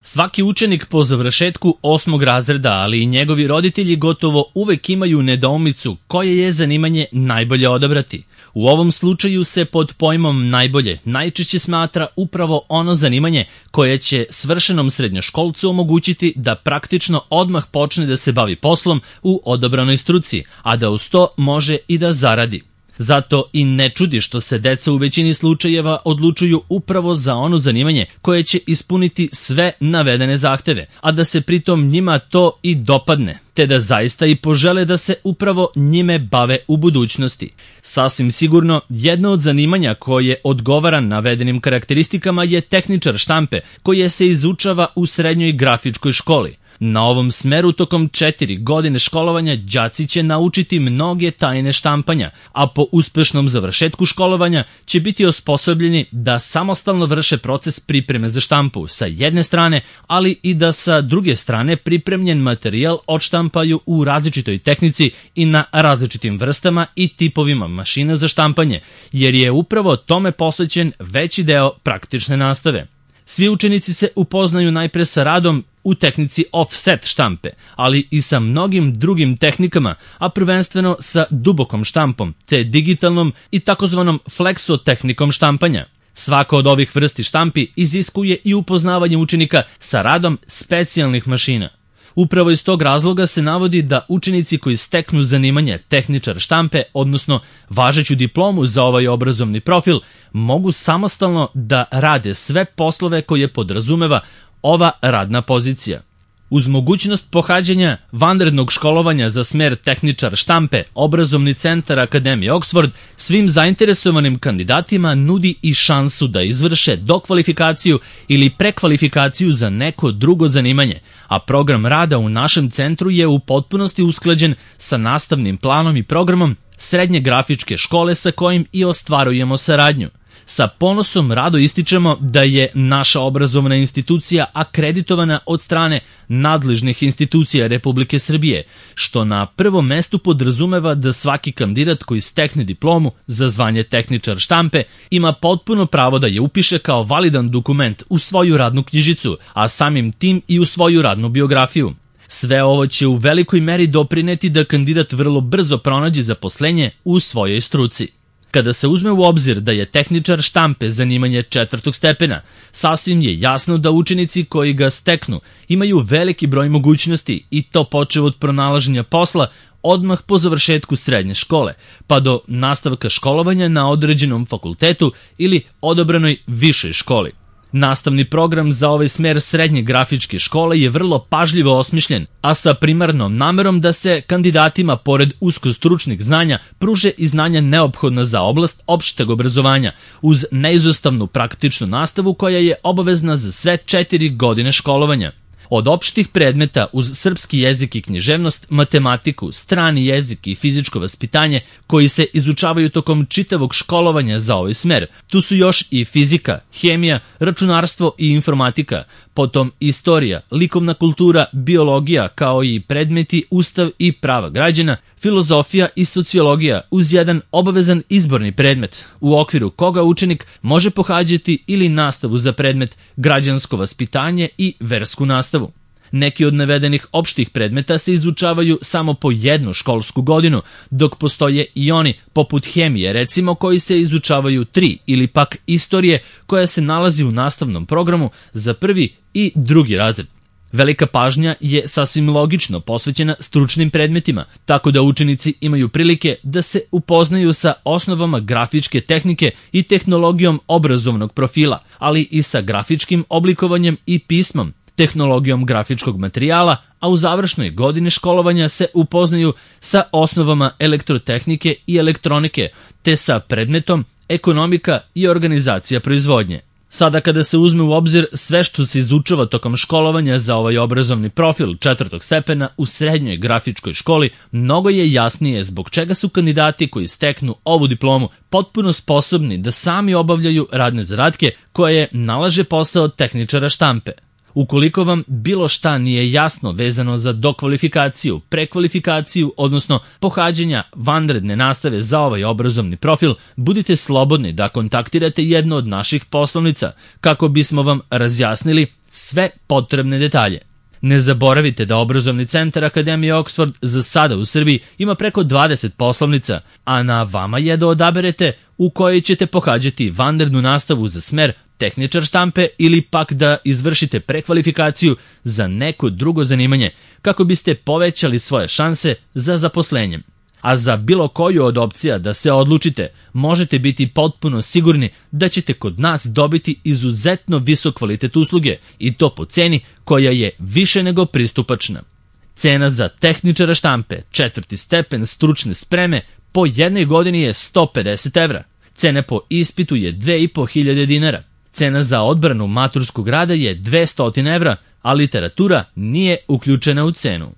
Svaki učenik po završetku 8. razreda, ali i njegovi roditelji gotovo uvek imaju nedoumicu koje je zanimanje najbolje odabrati. U ovom slučaju se pod pojmom najbolje najčešće smatra upravo ono zanimanje koje će svršenom srednjoškolcu omogućiti da praktično odmah počne da se bavi poslom u odabranoj struci, a da uz to može i da zaradi. Zato i ne čudi što se deca u većini slučajeva odlučuju upravo za ono zanimanje koje će ispuniti sve navedene zahteve, a da se pritom njima to i dopadne, te da zaista i požele da se upravo njime bave u budućnosti. Sasvim sigurno, jedno od zanimanja koje odgovara navedenim karakteristikama je tehničar štampe, koje se izučava u srednjoj grafičkoj školi. Na ovom smeru tokom 4 godine školovanja đaci će naučiti mnoge tajne štampanja, a po uspešnom završetku školovanja će biti osposobljeni da samostalno vrše proces pripreme za štampu sa jedne strane, ali i da sa druge strane pripremljen materijal odštampaju u različitoj tehnici i na različitim vrstama i tipovima mašina za štampanje, jer je upravo tome posvećen veći deo praktične nastave. Svi učenici se upoznaju najpre sa radom u tehnici offset štampe, ali i sa mnogim drugim tehnikama, a prvenstveno sa dubokom štampom, te digitalnom i takozvanom flexo tehnikom štampanja. Svaka od ovih vrsti štampi iziskuje i upoznavanje učenika sa radom specijalnih mašina. Upravo iz tog razloga se navodi da učenici koji steknu zanimanje tehničar štampe, odnosno važeću diplomu za ovaj obrazovni profil, mogu samostalno da rade sve poslove koje podrazumeva ova radna pozicija. Uz mogućnost pohađanja vanrednog školovanja za smer tehničar štampe, obrazovni centar Akademije Oxford svim zainteresovanim kandidatima nudi i šansu da izvrše dokvalifikaciju ili prekvalifikaciju za neko drugo zanimanje, a program rada u našem centru je u potpunosti usklađen sa nastavnim planom i programom srednje grafičke škole sa kojim i ostvarujemo saradnju. Sa ponosom rado ističemo da je naša obrazovna institucija akreditovana od strane nadležnih institucija Republike Srbije, što na prvom mestu podrazumeva da svaki kandidat koji stekne diplomu za zvanje tehničar štampe ima potpuno pravo da je upiše kao validan dokument u svoju radnu knjižicu, a samim tim i u svoju radnu biografiju. Sve ovo će u velikoj meri doprineti da kandidat vrlo brzo pronađe zaposlenje u svojoj struci. Kada se uzme u obzir da je tehničar štampe zanimanje 4. stepena, sasvim je jasno da učenici koji ga steknu imaju veliki broj mogućnosti i to počev od pronalaženja posla odmah po završetku srednje škole, pa do nastavka školovanja na određenom fakultetu ili odabranoj višoj školi. Nastavni program za ovaj smer srednje grafičke škole je vrlo pažljivo osmišljen, a sa primarnom namerom da se kandidatima pored uskostručnih znanja pruže i znanja neophodna za oblast opšteg obrazovanja, uz neizostavnu praktičnu nastavu koja je obavezna za sve 4 godine školovanja. Od opštih predmeta uz srpski jezik i književnost, matematiku, strani jezik i fizičko vaspitanje koji se izučavaju tokom čitavog školovanja za ovaj smer, tu su još i fizika, hemija, računarstvo i informatika, potom istorija, likovna kultura, biologija kao i predmeti Ustav i prava građana, filozofija i sociologija uz jedan obavezan izborni predmet, u okviru koga učenik može pohađati ili nastavu za predmet građansko vaspitanje i versku nastavu. Neki od navedenih opštih predmeta se izučavaju samo po jednu školsku godinu, dok postoje i oni, poput hemije recimo, koji se izučavaju 3 ili pak istorije koja se nalazi u nastavnom programu za 1. i 2. razred. Velika pažnja je sasvim logično posvećena stručnim predmetima, tako da učenici imaju prilike da se upoznaju sa osnovama grafičke tehnike i tehnologijom obrazovnog profila, ali i sa grafičkim oblikovanjem i pismom, tehnologijom grafičkog materijala, a u završnoj godini školovanja se upoznaju sa osnovama elektrotehnike i elektronike, te sa predmetom ekonomika i organizacija proizvodnje. Sada kada se uzme u obzir sve što se izučava tokom školovanja za ovaj obrazovni profil 4. stepena u srednjoj grafičkoj školi, mnogo je jasnije zbog čega su kandidati koji steknu ovu diplomu potpuno sposobni da sami obavljaju radne zadatke koje nalaže posao tehničara štampe. Ukoliko vam bilo šta nije jasno vezano za dokvalifikaciju, prekvalifikaciju, odnosno pohađanja vanredne nastave za ovaj obrazovni profil, budite slobodni da kontaktirate jednu od naših poslovnica kako bismo vam razjasnili sve potrebne detalje. Ne zaboravite da obrazovni centar Akademije Oxford za sada u Srbiji ima preko 20 poslovnica, a na vama je da odaberete u kojoj ćete pohađati vanrednu nastavu za smer tehničar štampe ili pak da izvršite prekvalifikaciju za neko drugo zanimanje kako biste povećali svoje šanse za zaposlenjem. A za bilo koju od opcija da se odlučite, možete biti potpuno sigurni da ćete kod nas dobiti izuzetno visok kvalitet usluge i to po ceni koja je više nego pristupačna. Cena za tehničara štampe 4. stepen stručne spreme po jednoj godini je 150 evra. Cena po ispitu je 2500 dinara. Cena za odbranu maturskog rada je 200 evra, a literatura nije uključena u cenu.